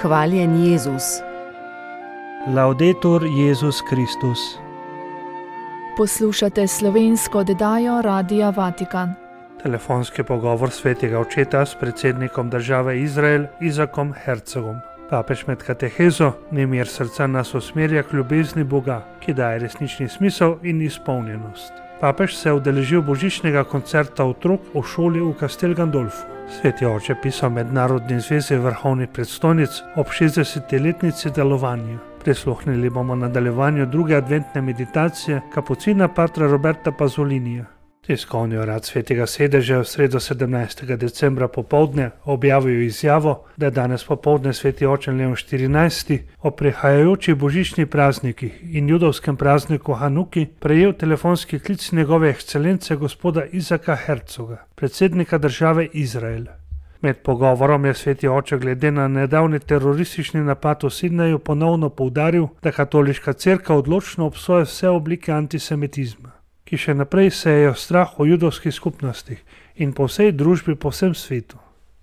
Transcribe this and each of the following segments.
Hvaljen Jezus. Laudetur Jezus Kristus. Poslušate slovensko oddajo Radia Vatikan. Telefonski pogovor svetega očeta s predsednikom države Izrael Izakom Herzogom. Papež med katehezo nemir srca nas usmerja k ljubezni Boga, ki daje resnični smisel in izpolnjenost. Papež se je udeležil božičnega koncerta otrok v šoli v Castel Gandolfu. Sveti oče pisal Mednarodni zvezi vrhovnih predstojnic ob 60-letnici delovanja. Prisluhnili bomo nadaljevanju druge adventne meditacije kapucina patra Roberta Pazolinija. Tiskovni urad Svetega sedeža je v sredo 17. decembra popoldne objavil izjavo, da je danes popoldne sveti oče Leon XIV o prihajajočih božičnih praznikih in judovskem prazniku Hanuki prejel telefonski klic njegove ekscelence gospoda Izaka Herzoga, predsednika države Izrael. Med pogovorom je sveti oče glede na nedavni teroristični napad v Sidneju ponovno poudaril, da katoliška cerkev odločno obsoja vse oblike antisemitizma, ki še naprej sejejo strah o judovskih skupnostih in po vsej družbi po vsem svetu.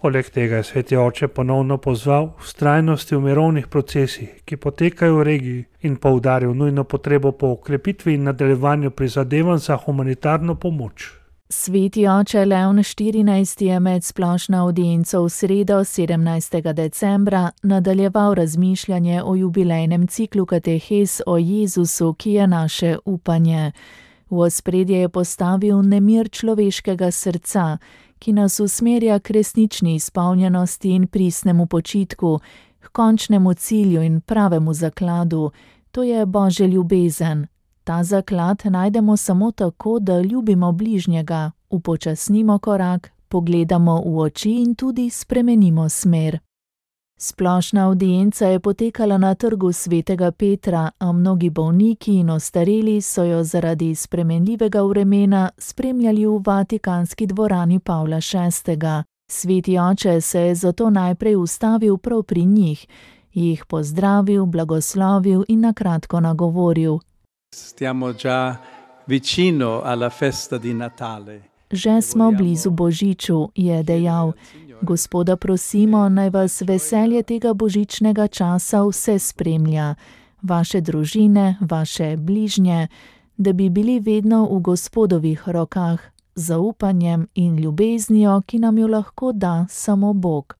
Poleg tega je sveti oče ponovno pozval vztrajnosti v mirovnih procesih, ki potekajo v regiji, in poudaril nujno potrebo po okrepitvi in nadaljevanju prizadevanj za humanitarno pomoč. Sveti oče Leon XIV je med splošno avdienco v sredo 17. decembra nadaljeval razmišljanje o jubilejnem ciklu katehez o Jezusu, ki je naše upanje. V ospredje je postavil nemir človeškega srca, ki nas usmerja k resnični izpolnjenosti in pristnemu počitku, k končnemu cilju in pravemu zakladu, to je Božja ljubezen. Ta zaklad najdemo samo tako, da ljubimo bližnjega, upočasnimo korak, pogledamo v oči in tudi spremenimo smer. Splošna avdienca je potekala na trgu svetega Petra, a mnogi bolniki in ostareli so jo zaradi spremenljivega vremena spremljali v vatikanski dvorani Pavla VI. Sveti oče se je zato najprej ustavil prav pri njih, jih pozdravil, blagoslovil in na kratko nagovoril. Stiamo già vicino alla festa di Natale. Že smo blizu Božiču, je dejal. Gospoda prosimo, naj vas veselje tega božičnega časa vse spremlja, vaše družine, vaše bližnje, da bi bili vedno v Gospodovih rokah, zaupanjem in ljubeznijo, ki nam jo lahko da samo Bog.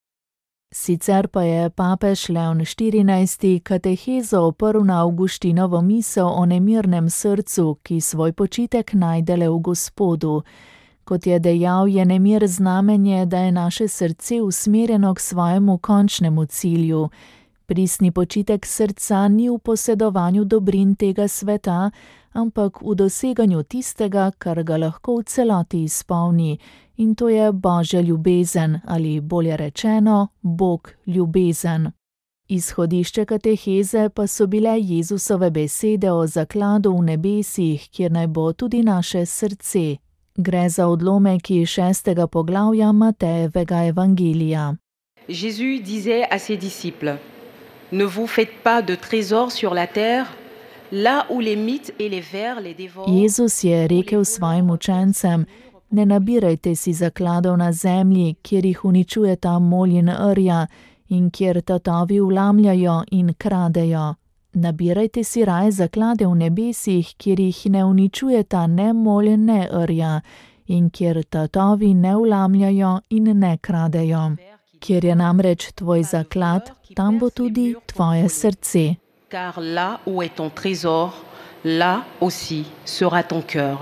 Sicer pa je papež Leon XIV katehezo oprl na Avguštinovo misel o nemirnem srcu, ki svoj počitek najde le v Gospodu. Kot je dejal, je nemir znamenje, da je naše srce usmerjeno k svojemu končnemu cilju. Pristni počitek srca ni v posedovanju dobrin tega sveta, ampak v doseganju tistega, kar ga lahko v celoti izpolni, in to je Božja ljubezen, ali bolje rečeno, Bog ljubezen. Izhodišče kateheze pa so bile Jezusove besede o zakladu v nebesih, kjer naj bo tudi naše srce. Gre za odlomek iz 6. poglavja Matejevega evangelija. Jésus disait à ses disciples: Ne vous faites pas de trésors sur la terre, là où les mites et les vers les dévorent. Jezus je rekel svojim učencem: Ne nabirajte si zakladov na zemlji, kjer jih uničujeta molj in rja in kjer tatovi vlamljajo in kradejo. Nabirajte si raje zaklade v nebesih, kjer jih ne uničujeta ne molj ne rja in kjer tatovi ne vlamljajo in ne kradejo. Kjer je namreč tvoj zaklad, tam bo tudi tvoje srce. Car là où est ton trésor, là aussi sera ton cœur.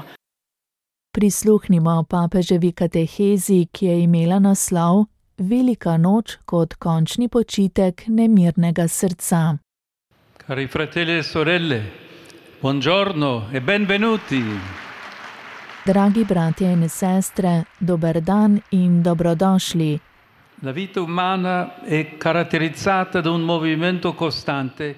Prisluhnimo papeževi katehezi, ki je imela naslov Velika noč kot končni počitek nemirnega srca. Cari fratelli e sorelle, buongiorno e benvenuti. Dragi bratje in sestre, dober dan in dobrodošli. La vita umana è caratterizzata da un movimento costante.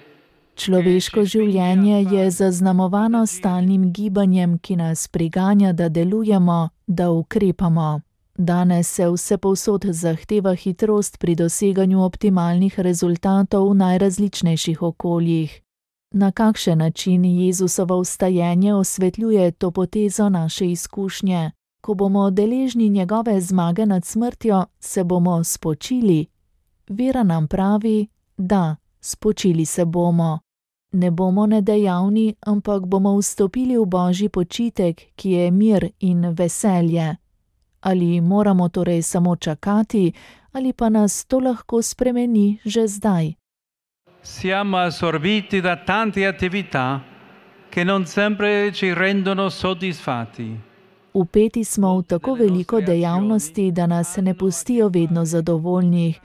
Človeško življenje je zaznamovano stalnim gibanjem, ki nas priganja, da delujemo, da ukrepamo. Danes se vsepovsod zahteva hitrost pri doseganju optimalnih rezultatov v najrazličnejših okoljih. Na kakšen način Jezusovo vstajenje osvetljuje to potezo naše izkušnje? Ko bomo deležni njegove zmage nad smrtjo, se bomo spočili. Vera nam pravi, Da, spočili se bomo. Ne bomo nedejavni, ampak bomo vstopili v Božji počitek, ki je mir in veselje. Ali moramo torej samo čakati, ali pa nas to lahko spremeni že zdaj? Siamo assorbiti da tante attività che non sempre ci rendono soddisfatti. Vpeti smo v tako veliko dejavnosti, da nas ne pustijo vedno zadovoljnih.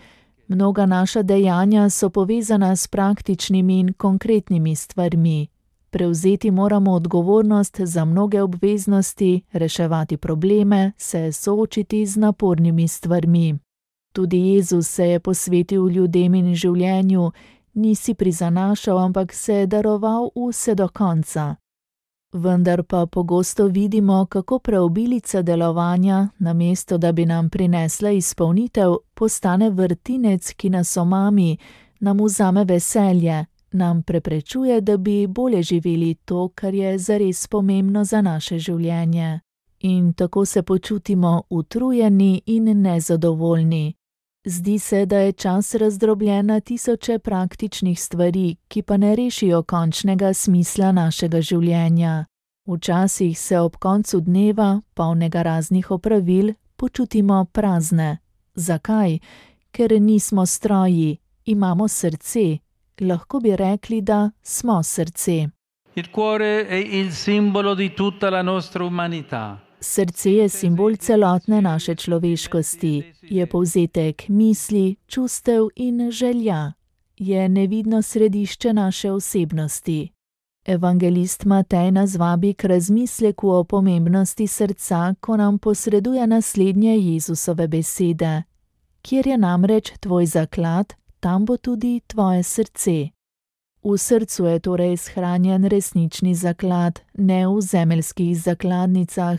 Mnoga naša dejanja so povezana s praktičnimi in konkretnimi stvarmi. Prevzeti moramo odgovornost za mnoge obveznosti, reševati probleme, se soočiti z napornimi stvarmi. Tudi Jezus se je posvetil ljudem in življenju, ni si prizanašal, ampak se je daroval vse do konca. Vendar pa pogosto vidimo, kako preobilica delovanja, namesto da bi nam prinesla izpolnitev, postane vrtinec, ki nas omami, nam vzame veselje, nam preprečuje, da bi bolje živeli to, kar je zares pomembno za naše življenje. In tako se počutimo utrujeni in nezadovoljni. Zdi se, da je čas razdrobljen na tisoče praktičnih stvari, ki pa ne rešijo končnega smisla našega življenja. Včasih se ob koncu dneva, polnega raznih opravil, počutimo prazne. Zakaj? Ker nismo stroji, imamo srce. Lahko bi rekli, da smo srce. Il cuore è il simbolo di tutta la nostra umanità. Srce je simbol celotne naše človeškosti, je povzetek misli, čustev in želja, je nevidno središče naše osebnosti. Evangelist Matej nas vabi k razmisleku o pomembnosti srca, ko nam posreduje naslednje Jezusove besede. Kjer je namreč tvoj zaklad, tam bo tudi tvoje srce. V srcu je torej shranjen resnični zaklad, ne v zemeljskih zakladnicah,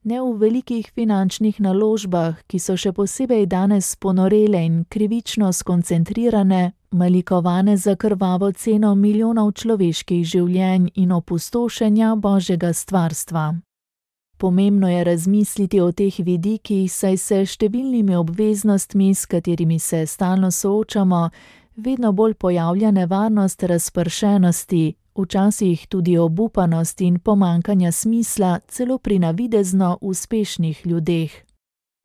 ne v velikih finančnih naložbah, ki so še posebej danes ponorele in krivično skoncentrirane, malikovane za krvavo ceno milijonov človeških življenj in opustošenja Božjega stvarstva. Pomembno je razmisliti o teh vidikih, saj se številnimi obveznostmi, s katerimi se stalno soočamo, vedno bolj pojavlja nevarnost razpršenosti, včasih tudi obupanost in pomanjkanja smisla celo pri navidezno uspešnih ljudeh.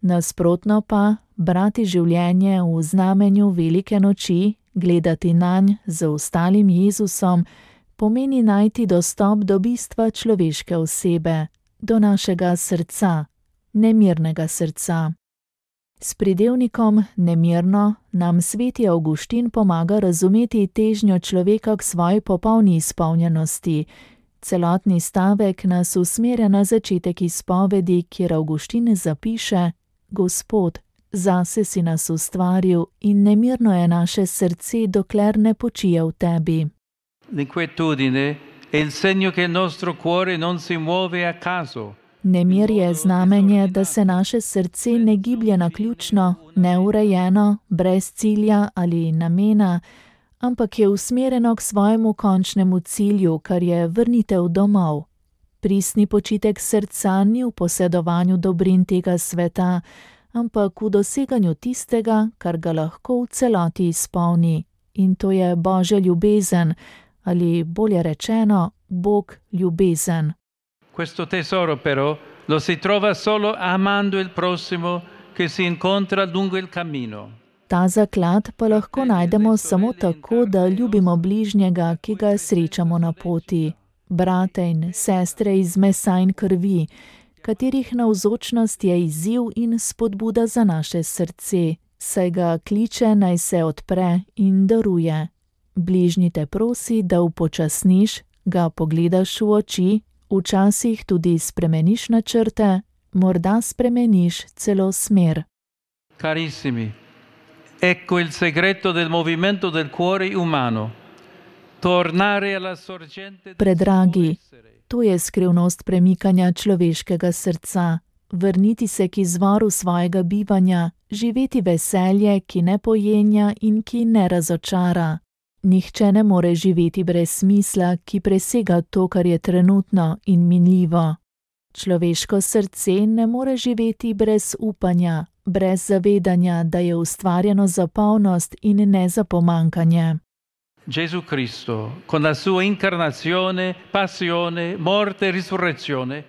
Nasprotno pa, brati življenje v znamenju velike noči, gledati nanj z ostalim Jezusom, pomeni najti dostop do bistva človeške osebe, do našega srca, nemirnega srca. S pridevnikom nemirno nam sveti Avguštin pomaga razumeti težnjo človeka k svoji popolni izpolnjenosti. Celotni stavek nas usmerja na začetek izpovedi, kjer Avguštin zapiše: Gospod, zase si nas ustvaril in nemirno je naše srce, dokler ne počije v tebi. L'inquietudine è il segno che il nostro cuore non si muove a caso. Nemir je znamenje, da se naše srce ne giblje naključno, neurejeno, brez cilja ali namena, ampak je usmerjeno k svojemu končnemu cilju, kar je vrnitev domov. Pristni počitek srca ni v posedovanju dobrin tega sveta, ampak v doseganju tistega, kar ga lahko v celoti izpolni. In to je Božja ljubezen, ali bolje rečeno, Bog ljubezen. Questo tesoro però lo si trova solo amando il prossimo che si incontra lungo il cammino. Ta zaklad pa lahko najdemo samo tako, da ljubimo bližnjega, ki ga srečamo na poti. Brate in sestre iz mesa in krvi, katerih navzočnost je izziv in spodbuda za naše srce, saj ga kliče, naj se odpre in daruje. Bližnji te prosi, da upočasniš, ga pogledaš v oči, včasih tudi spremeniš načrte, morda spremeniš celo smer. Carissimi, ecco il segreto del movimento del cuore umano. Tornare alla sorgente del Predragi, suo essere. to je skrivnost premikanja človeškega srca. Vrniti se k izvoru svojega bivanja, živeti veselje, ki ne pojenja in ki ne razočara. Nihče ne more živeti brez smisla, ki presega to, kar je trenutno in minljivo. Človeško srce ne more živeti brez upanja, brez zavedanja, da je ustvarjeno za polnost in ne za pomankanje. Gesù Cristo, con la sua incarnazione, passione, morte e risurrezione,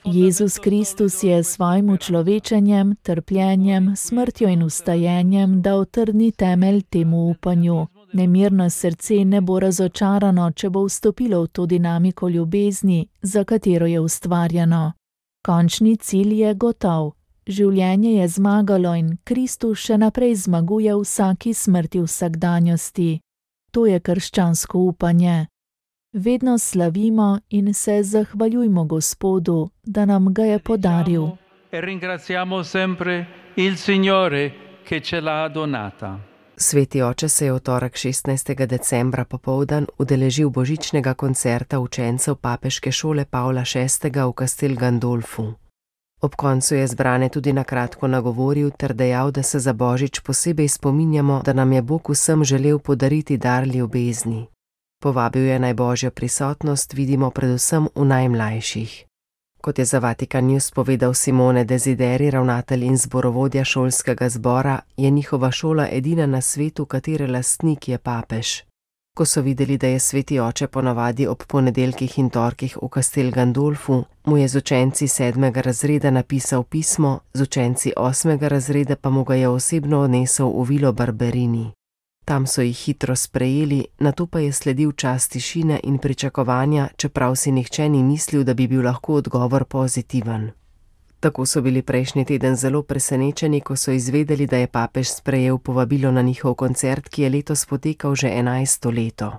Jezus Kristus je s svojim učlovečenjem, trpljenjem, smrtjo in vstajenjem dal trdni temelj temu upanju. Nemirno srce ne bo razočarano, če bo vstopilo v to dinamiko ljubezni, za katero je ustvarjeno. Končni cilj je gotov. Življenje je zmagalo in Kristus še naprej zmaguje v vsaki smrti vsakdanjosti. To je krščansko upanje. Vedno slavimo in se zahvaljujmo Gospodu, da nam ga je podaril. Sveti oče se je v torek 16. decembra popoldan udeležil božičnega koncerta učencev papeške šole Pavla VI. V Castel Gandolfu. Ob koncu je zbrane tudi na kratko nagovoril ter dejal, da se za božič posebej spominjamo, da nam je Bog vsem želel podariti dar ljubezni. Povabil je naj Božjo prisotnost vidimo predvsem v najmlajših. Kot je za Vatikan News povedal Simone Desideri, ravnatelj in zborovodja šolskega zbora, je njihova šola edina na svetu, katere lastnik je papež. Ko so videli, da je sveti oče ponavadi ob ponedeljkih in torkih v Castel Gandolfu, mu je z učenci 7. razreda napisal pismo, z učenci 8. razreda pa mu ga je osebno odnesel v Vilo Barberini. Tam so jih hitro sprejeli, nato pa je sledil čas tišine in pričakovanja, čeprav si nihče ni mislil, da bi bil lahko odgovor pozitiven. Tako so bili prejšnji teden zelo presenečeni, ko so izvedeli, da je papež sprejel povabilo na njihov koncert, ki je letos potekal že 11. leto.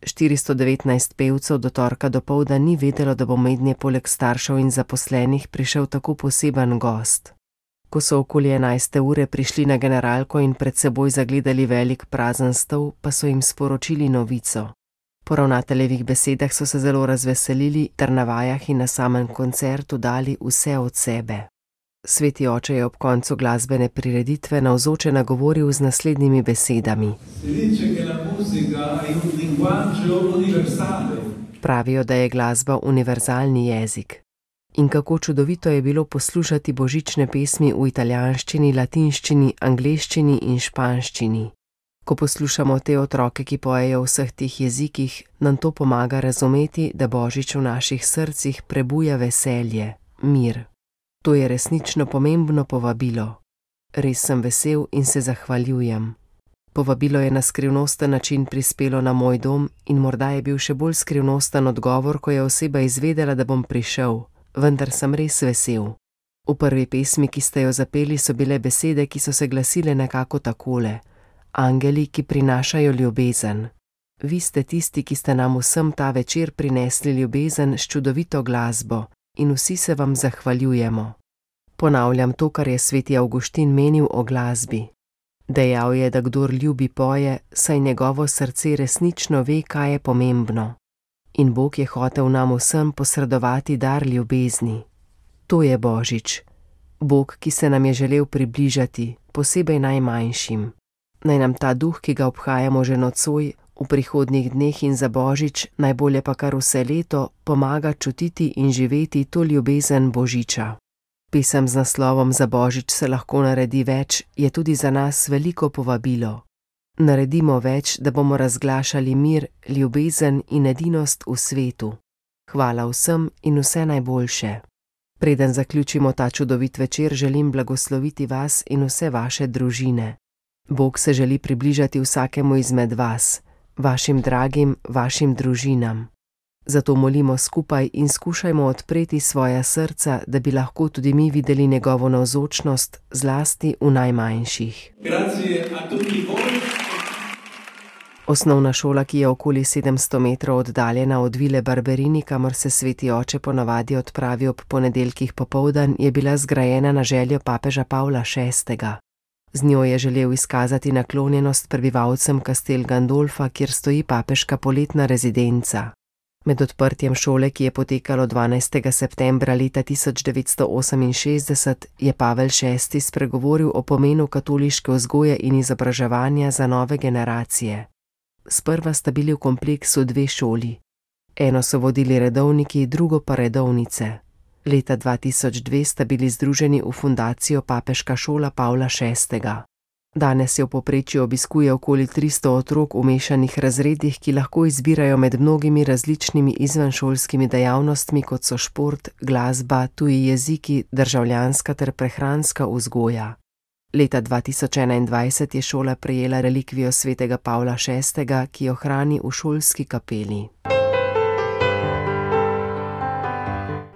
419 pevcev do torka dopoldan ni vedelo, da bo mednje poleg staršev in zaposlenih prišel tako poseben gost. Ko so okoli 11. ure prišli na generalko in pred seboj zagledali velik prazen stol, pa so jim sporočili novico. Po ravnateljevih besedah so se zelo razveselili ter na vajah in na samem koncertu dali vse od sebe. Sveti oče je ob koncu glasbene prireditve navzoče nagovoril z naslednjimi besedami. Pravijo, da je glasba univerzalni jezik. In kako čudovito je bilo poslušati božične pesmi v italijanščini, latinščini, angleščini in španščini. Ko poslušamo te otroke, ki pojejo v vseh teh jezikih, nam to pomaga razumeti, da božič v naših srcih prebuja veselje, mir. To je resnično pomembno povabilo. Res sem vesel in se zahvaljujem. Povabilo je na skrivnosten način prispelo na moj dom in morda je bil še bolj skrivnosten odgovor, ko je oseba izvedela, da bom prišel, vendar sem res vesel. V prvi pesmi, ki ste jo zapeli, so bile besede, ki so se glasile nekako takole. Angeli, ki prinašajo ljubezen. Vi ste tisti, ki ste nam vsem ta večer prinesli ljubezen s čudovito glasbo in vsi se vam zahvaljujemo. Ponavljam to, kar je sveti Avguštin menil o glasbi. Dejal je, da kdor ljubi poje, saj njegovo srce resnično ve, kaj je pomembno. In Bog je hotel nam vsem posredovati dar ljubezni. To je božič. Bog, ki se nam je želel približati, posebej najmanjšim. Naj nam ta duh, ki ga obhajamo že nocoj, v prihodnjih dneh in za božič, najbolje pa kar vse leto, pomaga čutiti in živeti to ljubezen božiča. Pesem z naslovom Za božič se lahko naredi več je tudi za nas veliko povabilo. Naredimo več, da bomo razglašali mir, ljubezen in edinost v svetu. Hvala vsem in vse najboljše. Preden zaključimo ta čudovit večer, želim blagosloviti vas in vse vaše družine. Bog se želi približati vsakemu izmed vas, vašim dragim, vašim družinam. Zato molimo skupaj in skušajmo odpreti svoja srca, da bi lahko tudi mi videli njegovo navzočnost, zlasti v najmanjših. Osnovna šola, ki je okoli 700 metrov oddaljena od Vile Barberini, kamor se sveti oče ponavadi odpravi ob ponedeljkih popoldan, je bila zgrajena na željo papeža Pavla VI. Z njo je želel izkazati naklonjenost prebivalcem Castel Gandolfa, kjer stoji papeška poletna rezidenca. Med odprtjem šole, ki je potekalo 12. septembra leta 1968, je Pavel VI. Spregovoril o pomenu katoliške vzgoje in izobraževanja za nove generacije. Sprva sta bili v kompleksu 2 šoli. Eno so vodili redovniki, drugo pa redovnice. Leta 2002 sta bili združeni v fundacijo Papeška šola Pavla VI. Danes jo v povprečju obiskuje okoli 300 otrok v mešanih razredih, ki lahko izbirajo med mnogimi različnimi izvenšolskimi dejavnostmi, kot so šport, glasba, tuji jeziki, državljanska ter prehranska vzgoja. Leta 2021 je šola prejela relikvijo svetega Pavla VI., ki jo hrani v šolski kapeli.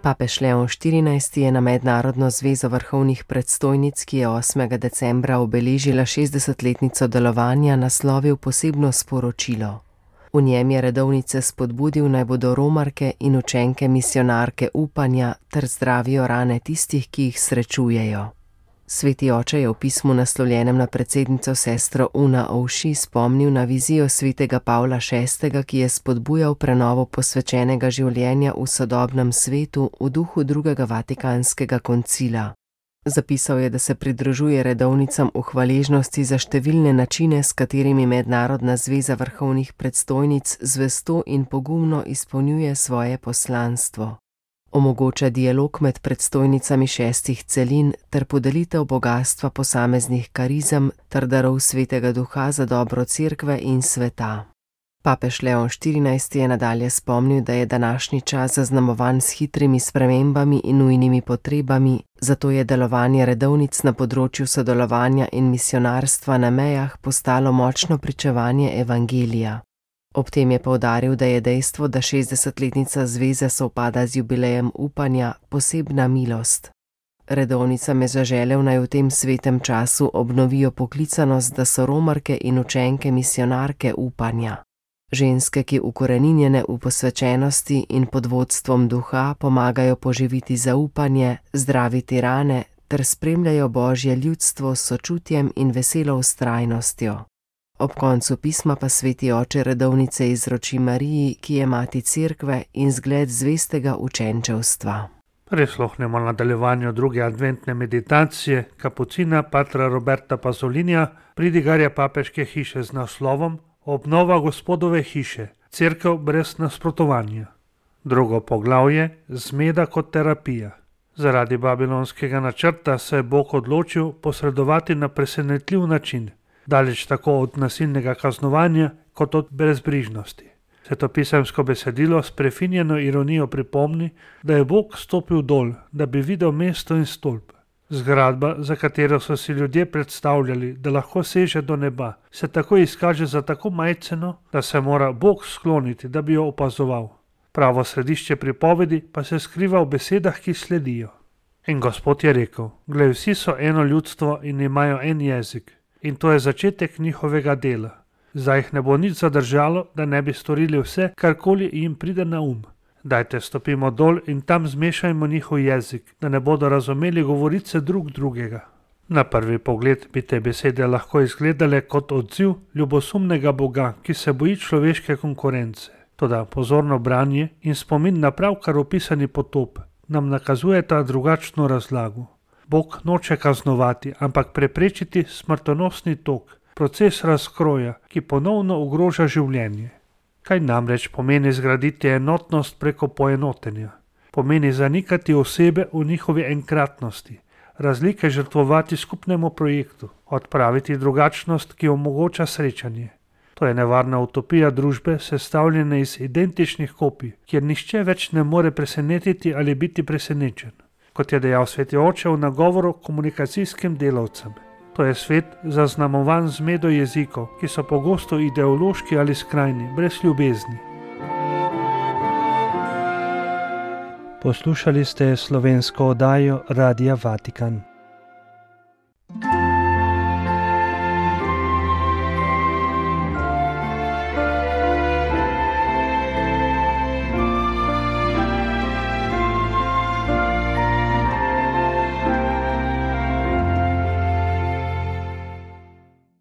Papež Leon XIV je na Mednarodno zvezo vrhovnih predstojnic, ki je 8. decembra obeležila 60-letnico delovanja, naslovil posebno sporočilo. V njem je redovnice spodbudil, naj bodo romarke in učenke misijonarke upanja ter zdravijo rane tistih, ki jih srečujejo. Sveti oče je v pismu naslovljenem na predsednico sestro Una Ovši spomnil na vizijo svetega Pavla VI., ki je spodbujal prenovo posvečenega življenja v sodobnem svetu v duhu drugega Vatikanskega koncila. Zapisal je, da se pridružuje redovnicam v hvaležnosti za številne načine, s katerimi Mednarodna zveza vrhovnih predstojnic zvesto in pogumno izpolnjuje svoje poslanstvo. Omogoča dialog med predstojnicami 6 celin ter podelitev bogastva posameznih karizem ter darov svetega duha za dobro cerkve in sveta. Papež Leon XIV je nadalje spomnil, da je današnji čas zaznamovan s hitrimi spremembami in nujnimi potrebami, zato je delovanje redovnic na področju sodelovanja in misijonarstva na mejah postalo močno pričevanje evangelija. Ob tem je poudaril, da je dejstvo, da 60-letnica zveze sovpada z jubilejem upanja, posebna milost. Redovnicam je zaželel, naj v tem svetem času obnovijo poklicanost, da so romarke in učenke misijonarke upanja. Ženske, ki ukoreninjene v posvečenosti in pod vodstvom duha pomagajo poživiti zaupanje, zdraviti rane ter spremljajo Božje ljudstvo s sočutjem in veselo vztrajnostjo. Ob koncu pisma pa sveti oče redovnice izroči Mariji, ki je mati cerkve in zgled zvestega učenčevstva. Prisluhnemo nadaljevanju druge adventne meditacije kapucina patra Roberta Pazolinija, pridigarja papeške hiše z naslovom Obnova Gospodove hiše, cerkev brez nasprotovanja. Drugo poglavje, zmeda kot terapija. Zaradi babilonskega načrta se je Bog odločil posredovati na presenetljiv način, daleč tako od nasilnega kaznovanja kot od brezbrižnosti. Svetopisemsko besedilo s prefinjeno ironijo pripomni, da je Bog stopil dol, da bi videl mesto in stolp. Zgradba, za katero so si ljudje predstavljali, da lahko seže do neba, se tako izkaže za tako majceno, da se mora Bog skloniti, da bi jo opazoval. Pravo središče pripovedi pa se skriva v besedah, ki sledijo. In Gospod je rekel: glej, vsi so eno ljudstvo in imajo en jezik. In to je začetek njihovega dela. Zdaj jih ne bo nič zadržalo, da ne bi storili vse, karkoli jim pride na Dajte stopimo dol in tam zmešajmo njihov jezik, da ne bodo razumeli govorice drug drugega. Na prvi pogled bi te besede lahko izgledale kot odziv ljubosumnega Boga, ki se boji človeške konkurence. Toda pozorno branje in spomin na pravkar opisani potop nam nakazujeta drugačno razlago. Bog noče kaznovati, ampak preprečiti smrtonosni tok, proces razkroja, ki ponovno ogroža življenje. Kaj namreč pomeni zgraditi enotnost preko poenotenja? Pomeni zanikati osebe v njihovi enkratnosti, razlike žrtvovati skupnemu projektu, odpraviti drugačnost, ki omogoča srečanje. To je nevarna utopija družbe, sestavljene iz identičnih kopij, kjer nihče več ne more presenetiti ali biti presenečen. Kot je dejal sveti oče v nagovoru komunikacijskim delavcem. To je svet zaznamovan z zmedo jezikov, ki so pogosto ideološki ali skrajni, brez ljubezni. Poslušali ste slovensko oddajo Radia Vatikan.